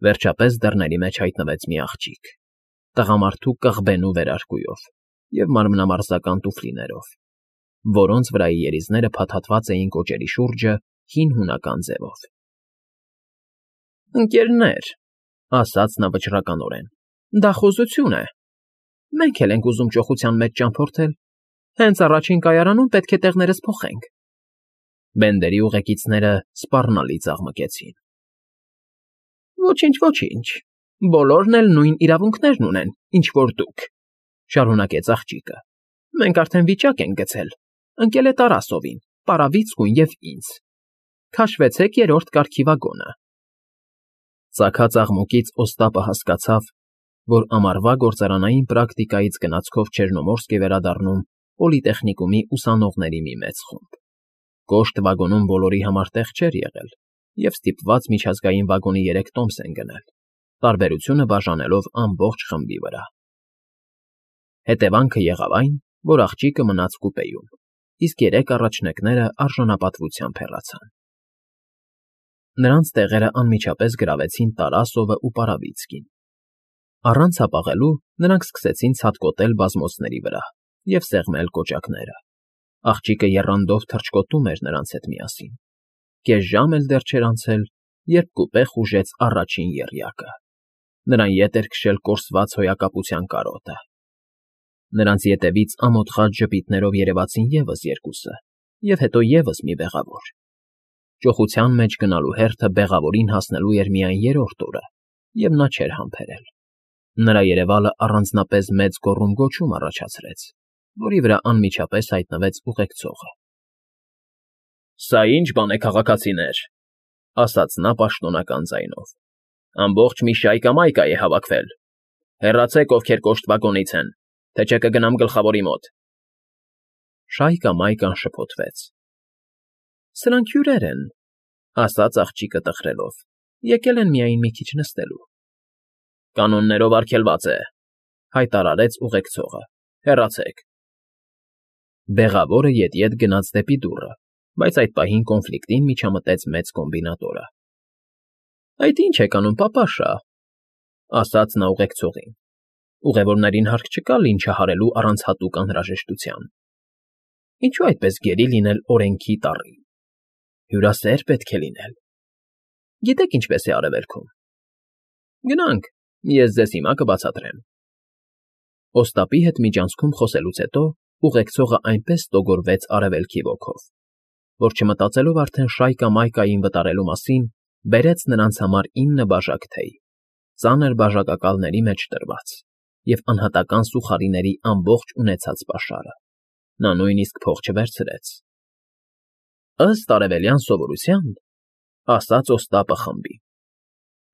Վերջապես դռների մեջ հայտնվեց մի աղջիկ, տղամարդու կղբենու վերարկուով և մանրամասնական տուֆլիներով, որոնց վրայի երիզները փաթաթված էին կոճերի շուրջը հին հունական ձևով։ ֊ Ընկերներ,֊ ասաց նա վճռականորեն,֊ դա խուզություն է։ Մենք էլ ենք ուզում ճոխության մեջ ճամփորդել, հենց առաջին կայարանում պետք է տեղներս փոխենք։ Բենդերի ուղեկիցները սպառնալի ծաղմկեցին։ ֊ Ոչինչ, ոչինչ, բոլորն էլ նույն իրավունքներն ունեն, ինչ որ դուք,֊ շարունակեց աղջիկը։ Մենք արդեն վիճակ ենք գցել, ընկել է Տարասովին, Պարավիցկուն և ինձ։ Քաշվեցեք երրորդ կարգի վագոնը։ Ծագած աղմուկից Օստապը հասկացավ, որ ամառվա գործարանային պրակտիկայից գնացքով Չեռնոմորսկ է վերադառնում պոլիտեխնիկումի ուսանողների մի մեծ խումբ։ Կոշտ վագոնում բոլորի համար տեղ չէր եղել, և ստիպված միջազգային վագոնի 3 տոմս են գնել, տարբերությունը բաժանելով ամբողջ խմբի վրա։ Հետևանքը եղավ այն, որ աղջիկը մնաց կուպեում, իսկ 3 առաջնեկները արժանապատվությամբ հեռացան։ Նրանց տեղերը անմիջապես գրավեցին Տարասովն ու Պարավիցկին։ Առանց հապաղելու նրանք սկսեցին ցատկոտել բազմոցների վրա և սեղմել կոճակները։ Աղջիկը եռանդով թռչկոտում էր նրանց հետ միասին։ Կես ժամ էլ դեռ չէր անցել, երբ կուպե խուժեց առաջին եռյակը։ Նրան ետ էր քշել կորսված հոյակապության կարոտը։ Նրանց ետևից ամոթխած ժպիտներով երևացին ևս 2, և հետո ևս մի բեղավոր։ Ճոխության մեջ գնալու հերթը բեղավորին հասնելու էր միայն 3-րդ օրը, և նա չէր համբերել։ Նրա երևալը առանձնապես մեծ գոռում֊գոչում առաջացրեց, որի վրա անմիջապես հայտնվեց ուղեկցողը։ ֊ Սա ի՞նչ բան է, քաղաքացիներ,֊ ասաց նա պաշտոնական ձայնով։ Ամբողջ մի շայկա֊մայկա է հավաքվել։ Հեռացեք, ովքեր կոշտ վագոնից են, թե չէ կգնամ գլխավորի մոտ։ Շայկա֊մայկան շփոթվեց։ ֊ Սրանք հյուրեր են,֊ ասաց աղջիկը տխրելով,֊ եկել են միայն մի քիչ նստելու։ ֊ Կանոններով արգելված է,֊ հայտարարեց ուղեկցողը,֊ հեռացեք։ Բեղավորը ետ գնաց դեպի դուռը, բայց այդ պահին կոնֆլիկտին միջամտեց մեծ կոմբինատորը։ ֊ Այդ ի՞նչ եք անում, պապաշա,֊ ասաց նա ուղեկցողին։ Ուղևորներին հարկ չկա լինչը հարելու առանց հատուկ անհրաժեշտության։ Ինչո՞ւ այդպես գերի լինել օրենքի տառին։ Հյուրասեր պետք է լինել։ Գիտեք ինչպես է Արևելքում։ Գնանք, ես ձեզ հիմա կբացատրեմ։ Օստապի հետ միջանցքում խոսելուց հետո ուղեկցողը այնպես ստոգորվեց Արևելքի ոգով, որ չմտածելով արդեն շայկա֊մայկային վտարելու մասին, բերեց նրանց համար 9 բաժակ թեյ, ծանր բաժակակալների մեջ տրված, և անհատական սուխարիների ամբողջ ունեցած պաշարը։ Նա նույնիսկ փող չվերցրեց։ Ըստ արևելյան սովորության, ասաց Օստապը խմբին,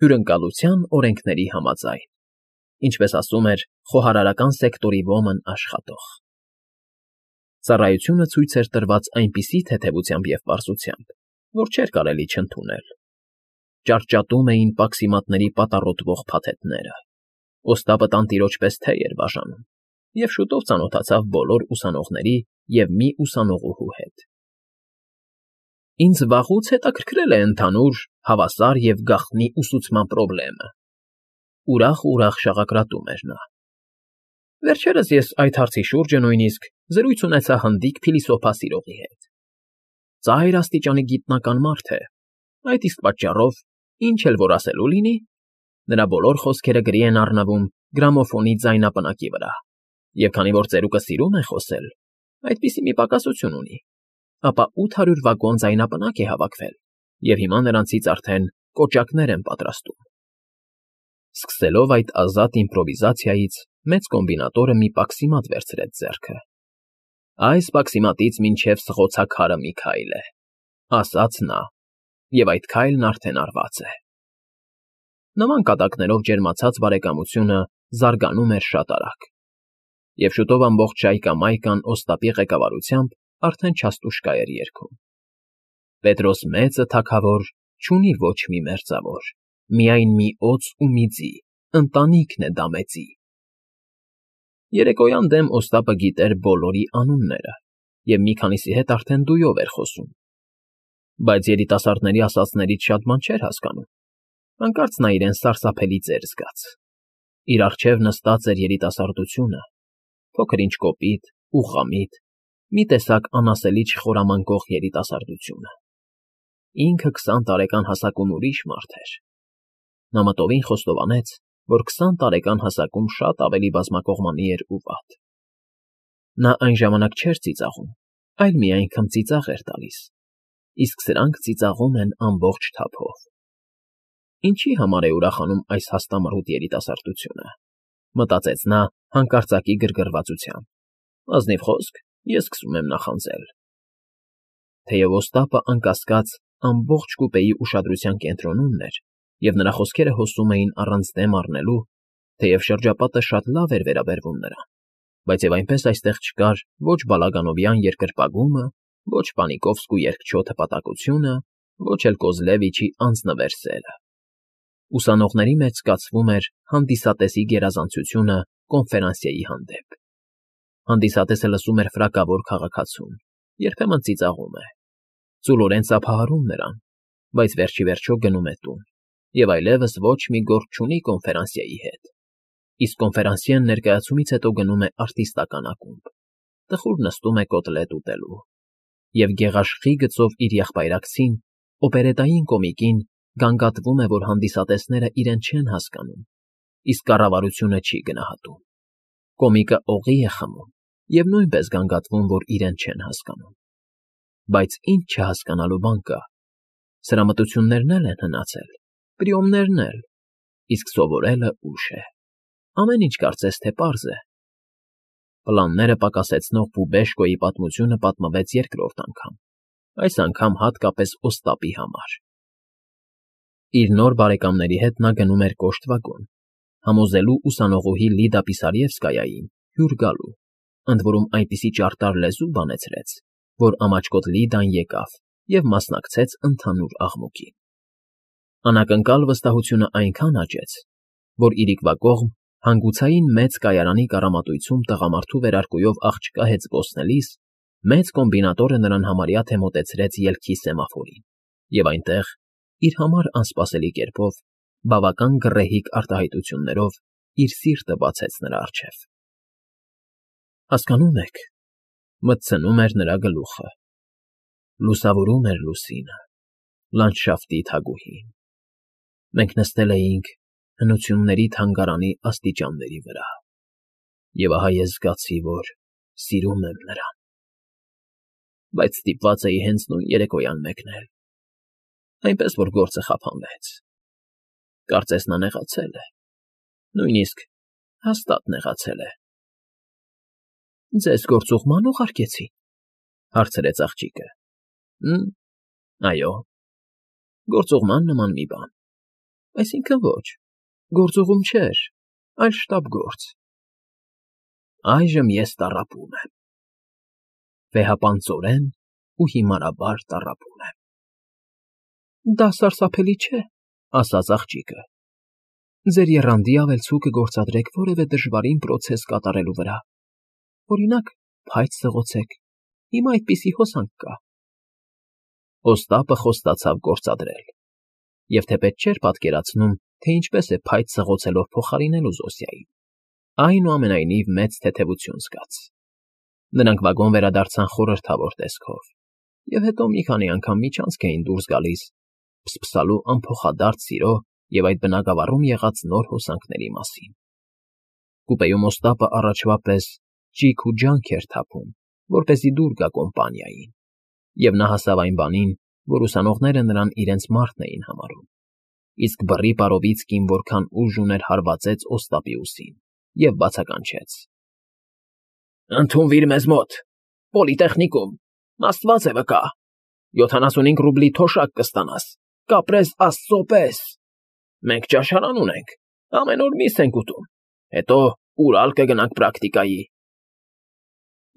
հյուրընկալության օրենքների համաձայն, ինչպես ասում էր խոհարարական սեկտորի ոմն աշխատող։ Ծառայությունը ցույց էր տրված այնպիսի թեթևությամբ և պարզությամբ, որ չէր կարելի չընդունել։ Ճարճատում էին պաքսիմատների պատառոտվող փաթեթները։ Օստապը տանտիրոջ պես թեյ էր բաժանում և շուտով ծանոթացավ բոլոր ուսանողների և մի ուսանողուհու հետ։ Ինձ վաղուց հետաքրքրել է ընդհանուր, հավասար և գաղտնի ուսուցման պրոբլեմը,֊ ուրախ շաղակրատում էր նա։ Վերջերս ես այդ հարցի շուրջը նույնիսկ զրույց ունեցա հնդիկ փիլիսոփա սիրողի հետ։ Ծայր աստիճանի գիտնական մարդ է, այդ իսկ պատճառով, ինչ էլ որ ասելու լինի, նրա բոլոր խոսքերը գրի են առնվում գրամոֆոնի ձայնապնակի վրա, և քանի որ ծերուկը սիրում է խոսել, այդպիսի մի պակասություն ունի, ապա 800 վագոն ձայնապնակ է հավաքվել, և հիմա նրանցից արդեն կոճակներ են պատրաստում։ Սկսելով այդ ազատ իմպրովիզացիայից, մեծ կոմբինատորը մի պաքսիմատ վերցրեց ձեռքը։ Այս պաքսիմատից մինչև սղոցաքարը մի քայլ է,֊ ասաց նա, և այդ քայլն արդեն արված է։ Նման կատակներով ջերմացած բարեկամությունը զարգանում էր շատ արագ, և շուտով ամբողջ շայկա֊մայկան Օստապի ղեկավարությամբ արդեն չաստուշկա էր երգում. Պետրոս մեծը թագավոր չունի ոչ մի մերձավոր, միայն մի օձ ու մի ձի, ընտանիքն է դա մեծի։ Երեկոյան դեմ Օստապը գիտեր բոլորի անունները և մի քանիսի հետ արդեն դույով էր խոսում, բայց երիտասարդների ասածներից շատ բան չէր հասկանում։ Հանկարծ նա իրեն սարսափելի ծեր զգաց. իր առջև նստած էր երիտասարդությունը, փոքր-ինչ կոպիտ ու խամիտ, մի տեսակ անասելի չխորամանկող երիտասարդությունը։ Ինքը 20 տարեկան հասակում ուրիշ մարդ էր։ Նա մտովին խոստովանեց, որ 20 տարեկան հասակում շատ ավելի բազմակողմանի էր ու վատ։ Նա այն ժամանակ չէր ծիծաղում, այլ միայն քմծիծաղ էր տալիս, իսկ սրանք ծիծաղում են ամբողջ թափով։ Ինչի համար է ուրախանում այս հաստամռութ երիտասարդությունը, մտածեց նա հանկարծակի գրգռվածությամբ։ Ազնիվ խոսք, ես սկսում եմ նախանձել։ Թեև Օստապը անկասկած ամբողջ կուպեի ուշադրության կենտրոնումն էր, և նրա խոսքերը հոսում էին առանց դեմ առնելու, թեև շրջապատը շատ լավ էր վերաբերվում նրան, բայց և այնպես այստեղ չկար ոչ Բալագանովյան երկրպագումը, ոչ Պանիկովսկու երգչոտ հպատակությունը, ոչ էլ Կոզլևիչի անձնվեր սերը։ Ուսանողների մեջ զգացվում էր հանդիսատեսի գերազանցությունը կոնֆերանսիեի հանդեպ։ Հանդիսատեսը լսում էր ֆրակավոր քաղաքացուն, երբեմն ծիծաղում է, ծուլորեն ծափահարում նրան, բայց վերջիվերջո գնում է տուն, և այլևս ոչ մի գործ չունի կոնֆերանսիեի հետ։ Իսկ կոնֆերանսիեն ներկայացումից հետո գնում է արտիստական ակումբ, տխուր նստում է կոտլետ ուտելու, և գեղաշխի գծով իր եղբայրակցին, օպերետային կոմիկին, գանգատվում է, որ հանդիսատեսները իրեն չեն հասկանում, իսկ կառավարությունը չի գնահատում։ Կոմիկը օղի է խմում և նույնպես գանգատվում, որ իրեն չեն հասկանում։ Բայց ինչ չհասկանալու բան կա։ Սրամտություններն էլ են հնացել, պրիոմներն էլ, իսկ սովորելը ուշ է։ Ամեն ինչ կարծես թե պարզ է։ Պլանները պակասեցնող Բուբեշկոյի պատմությունը պատմվեց երկրորդ անգամ, այս անգամ հատկապես Օստապի համար։ Իր նոր բարեկամների հետ նա գնում էր կոշտ վագոն, համոզելու ուսանողուհի Լիդա Պիսարևսկայային հյուր գալու, ընդ որում այնպիսի ճարտար լեզու բանեցրեց, որ ամաչկոտ Լիդան եկավ և մասնակցեց ընդհանուր աղմուկին։ Անակնկալ վստահությունը այնքան աճեց, որ իրիկվա կողմ հանգուցային մեծ կայարանի կառամատույցում տղամարդու վերարկուով աղջկա հետ զբոսնելիս մեծ կոմբինատորը նրան համարյա թե մոտեցրեց ելքի սեմաֆորին, և այնտեղ, իր համար անսպասելի կերպով, բավական գռեհիկ արտահայտություններով իր սիրտը բացեց նրա առջև։ Հասկանո՞ւմ եք, մտցնում էր նրա գլուխը, լուսավորում էր լուսինը, լանդշաֆտի թագուհին։ Մենք նստել էինք հնությունների թանգարանի աստիճանների վրա, և ահա ես զգացի, որ սիրում եմ նրան, բայց ստիպված էի հենց նույն երեկոյան մեկնել, այնպես որ գործը խափանվեց։ Կարծես նա նեղացել է, նույնիսկ հաստատ նեղացել է։ ֊ Ձեզ գործուղման ուղարկեցի՞ն,֊ հարցրեց աղջիկը։ Այո, գործուղման նման մի բան, այսինքն ոչ, գործուղում չէր, այլ շտապգործ։ Այժմ ես տառապում եմ, վեհապանծորեն ու հիմարաբար տառապում եմ։ ֊ Դա սարսափելի չէ,֊ ասաց աղջիկը։ Ձեր եռանդի ավելցուկը գործադրեք որևէ դժվարին պրոցես կատարելու վրա, օրինակ, փայտ սղոցեք, հիմա այդպիսի հոսանք կա։ Օստապը խոստացավ գործադրել, և թեպետ չէր պատկերացնում, թե ինչպես է փայտ սղոցելով փոխարինելու Զոսիային, այնուամենայնիվ մեծ թեթևություն զգաց։ Նրանք վագոն վերադարձան խորհրդավոր տեսքով, և հետո մի քանի անգամ միջանցք էին դուրս գալիս, փսփսալու անփոխադարձ սիրո և այդ բնագավառում եղած նոր հոսանքների մասին։ Կուպեում Օստապը առաջվա պես ճիգ ու ջանք էր թափում, որպեսզի դուր գա կոմպանիային, և նա հասավ այն բանին, որ ուսանողները նրան իրենց մարդն էին համարում, իսկ բռի Պարովիցկին որքան ուժ ուներ հարվածեց Օստապի ուսին և բացականչեց. Ընդունվիր մեզ մոտ, պոլիտեխնիկում, աստված է վկա, 75 ռուբլի թոշակ կստանաս, կապրես աստծո պես։ Մենք ճաշարան ունենք, ամեն օր միս ենք ուտում, հետո Урալ կգնանք պրակտիկայի։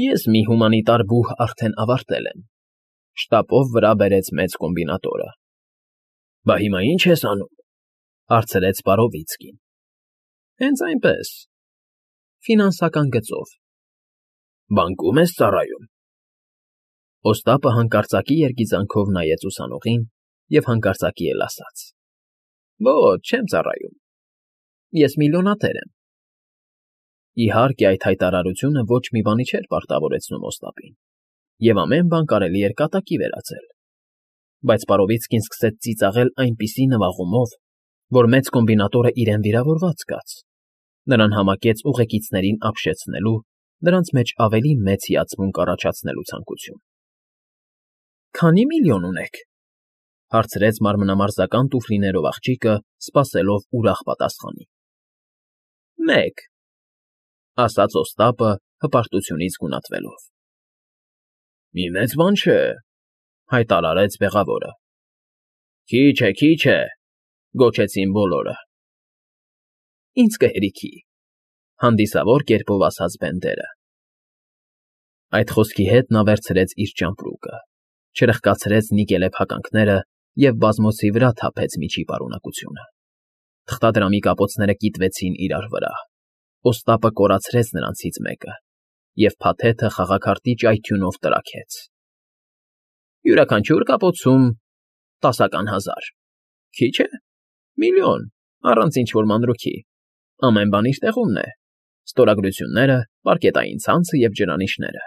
Ես մի հումանիտար բուհ արդեն ավարտել եմ,֊ շտապով վրա բերեց մեծ կոմբինատորը։ Բա հիմա ի՞նչ ես անում,֊ հարցրեց Պարովիցկին։ Հենց այնպես, ֆինանսական գծով։ Բանկում ես ծառայում։ Օստապը հանկարծակի երգիծանքով նայեց ուսանողին և հանկարծակի էլ ասաց. Ոչ, չեմ ծառայում։ Ես միլիոնատեր եմ։ Իհարկե, այդ հայտարարությունը ոչ մի բանի չէր պարտավորեցնում Օստապին, և ամեն բան կարելի էր կատակի վերածել։ Բայց Պարովիցկին սկսեց ծիծաղել այնպիսի նվաղումով, որ մեծ կոմբինատորը իրեն վիրավորված զգաց. նրան համակեց ուղեկիցներին ապշեցնելու, նրանց մեջ ավելի մեծ հիացմունք առաջացնելու ցանկություն։ Քանի՞ միլիոն ունեք,֊ հարցրեց մարմնամարզական տուֆլիներով աղջիկը, սպասելով ուրախ պատասխանի։ Մեկ,֊ ասաց Օստապը, հպարտությունից գունատվելով։ Մի մեծ բան չէ,֊ հայտարարեց բեղավորը։ Քիչ է,֊ գոչեցին բոլորը։ Ինձ կհերիքի,֊ հանդիսավոր կերպով ասաց Բենդերը։ Այդ խոսքի հետ նա վերցրեց իր ճամպրուկը, չրխկացրեց նիկելե փականքները և բազմոցի վրա թափեց միջի պարունակությունը։ Թղթադրամի կապոցները կիտվեցին իրար վրա։ Օստապը կորացրեց նրանցից մեկը, և փաթեթը խաղաքարտի ճայթյունով տրաքեց։ Յուրաքանչյուր կապոցում 10,000 Քիչ է։ Միլիոն, առանց ինչ-որ մանրուքի։ Ամեն բան իր տեղումն է. ստորագրությունները, պարկետային ցանցը և ջրանիշները։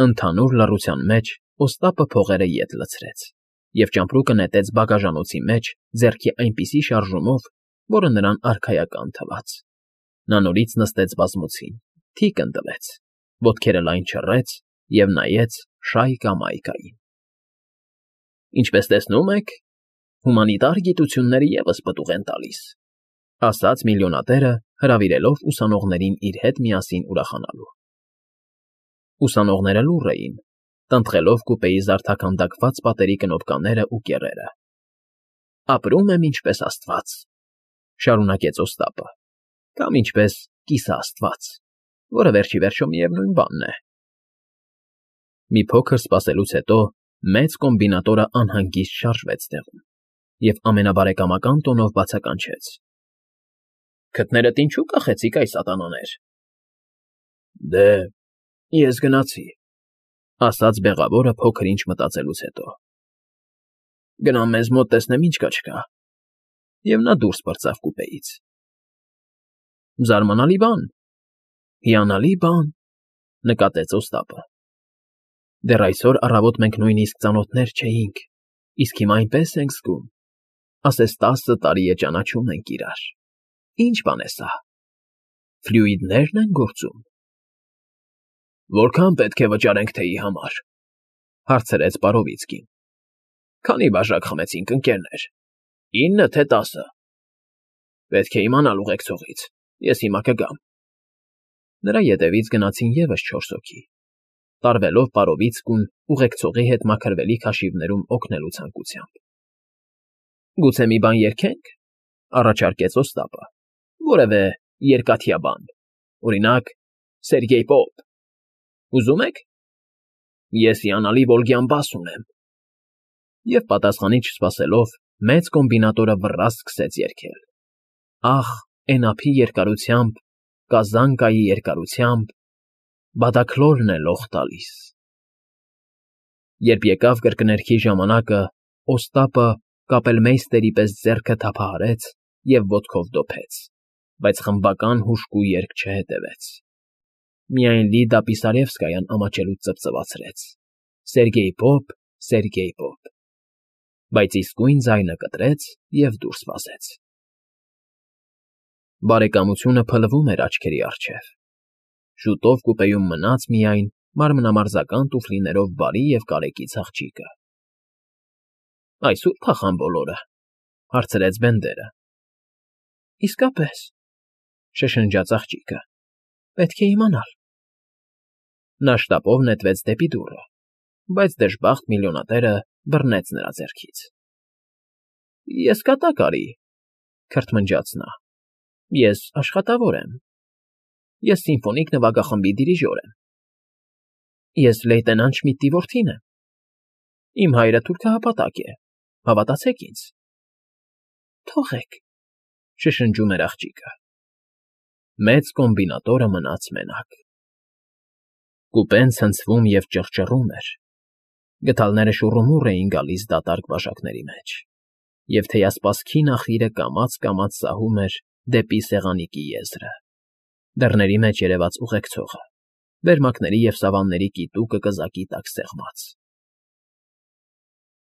Ընդհանուր լռության մեջ Օստապը փողերը ետ լցրեց և ճամպրուկը նետեց բագաժանոցի մեջ ձեռքի այնպիսի շարժումով, որը նրան արքայական թվաց։ Նա նորից նստեց բազմոցին, թիկն տվեց, ոտքերը լայն չռեց և նայեց Շայկա֊Մայկային։ Ինչպես տեսնում եք, հումանիտար գիտությունները ևս պտուղ են տալիս,֊ ասաց միլիոնատերը, հրավիրելով ուսանողներին իր հետ միասին ուրախանալու։ Ուսանողները լուռ էին, տնտղելով կուպեի զարդաքանդակված պատերի կնոպկաներն ու կեռերը։ Ապրում եմ ինչպես Աստված,֊ շարունակեց Օստապը,֊ կամ ինչպես կիսաաստված, որը վերջիվերջո միևնույն բանն է։ Մի փոքր սպասելուց հետո մեծ կոմբինատորը անհանգիստ շարժվեց տեղում և ամենաբարեկամական տոնով բացականչեց. Քթներդ ինչո՞ւ կախեցիք, այ սատանաներ։ Դե, ես գնացի,֊ ասաց բեղավորը փոքր ինչ մտածելուց հետո։ Գնամ մեզ մոտ տեսնեմ ինչ կա չկա։ Եվ նա դուրս պրծավ կուպեից։ Զարմանալի բան, հիանալի բան,֊ նկատեց Օստապը։ Դեռ այսօր առավոտ մենք նույնիսկ ծանոթներ չէինք, իսկ հիմա այնպես ենք զգում, ասես 10 տարի է ճանաչում ենք իրար։ Ի՞նչ բան է սա։ Ֆլյուիդնե՞րն են գործում։ Որքա՞ն պետք է վճարենք թեյի համար,֊ հարցրեց Պարովիցկին։ Քանի՞ բաժակ խմեցինք, ընկերներ, 9, թե 10։ Պետք է իմանալ ուղեկցողից, ես հիմա կգամ։ Նրա ետևից գնացին ևս 4 հոգի, տարվելով Պարովիցկուն ուղեկցողի հետ մաքրվելիք հաշիվներում օգնելու ցանկությամբ։ Գուցե մի բան երգե՞նք,֊ առաջարկեց Օստապը, որևէ երկաթյա բան, օրինակ, Սերգեյ Պոպ։ Ուզում եք։ Ես հիանալի Վոլգյան բաս ունեմ։ Եվ պատասխանի չսպասելով, մեծ կոմբինատորը վռ սկսեց երգել. Ախ, էնափի երկարությամբ, կազանկայի երկարությամբ, բադաքլորն է լող տալիս։ Երբ եկավ կրկներգի ժամանակը, Օստապը կապելմեյստերի պես ձեռքը թափահարեց և ոտքով դոփեց, բայց խմբական հուժկու երգ չհետևեց։ Միայն Լիդա Պիսարևսկայան ամաչելուց ծվծվացրեց. Սերգեյ Պոպ, Սերգեյ Պոպ, բայց իսկույն ձայնը կտրեց և դուրս վազեց։ Բարեկամությունը փլվում էր աչքերի առջև։ Շուտով կուպեում մնաց միայն մարմնամարզական տուֆլիներով բարի և կարեկից աղջիկը։ Այսո՞ւր փախան բոլորը,֊ հարցրեց Բենդերը։ Իսկապես,֊ շշնջաց աղջիկը,֊ պետք է իմանալ։ Նա շտապով նետվեց դեպի դուռը, բայց դժբախտ միլիոնատերը բռնեց նրա ձեռքից։ Ես կատակ արի,֊ քրթմնջաց նա,֊ ես աշխատավոր եմ։ Ես սիմֆոնիկ նվագախմբի դիրիժոր եմ։ Ես լեյտենանտ Շմիդտի որդին եմ։ Իմ հայրը թուրքահապատակ է, հավատացեք ինձ։ Թողեք,֊ շշնջում էր աղջիկը։ Մեծ կոմբինատորը մնաց մենակ։ Կուպեն ցնցվում և ճռճռում էր։ Գդալները շուռումուռ էին գալիս դատարկ բաժակների մեջ։ Եվ թեյասպասքի նախիրը կամաց֊կամաց սահում էր դեպի սեղանիկի եզրը, դռների մեջ երևաց ուղեկցողը, վերմակների և սավանների կիտուկը կզակի տակ սեղմած։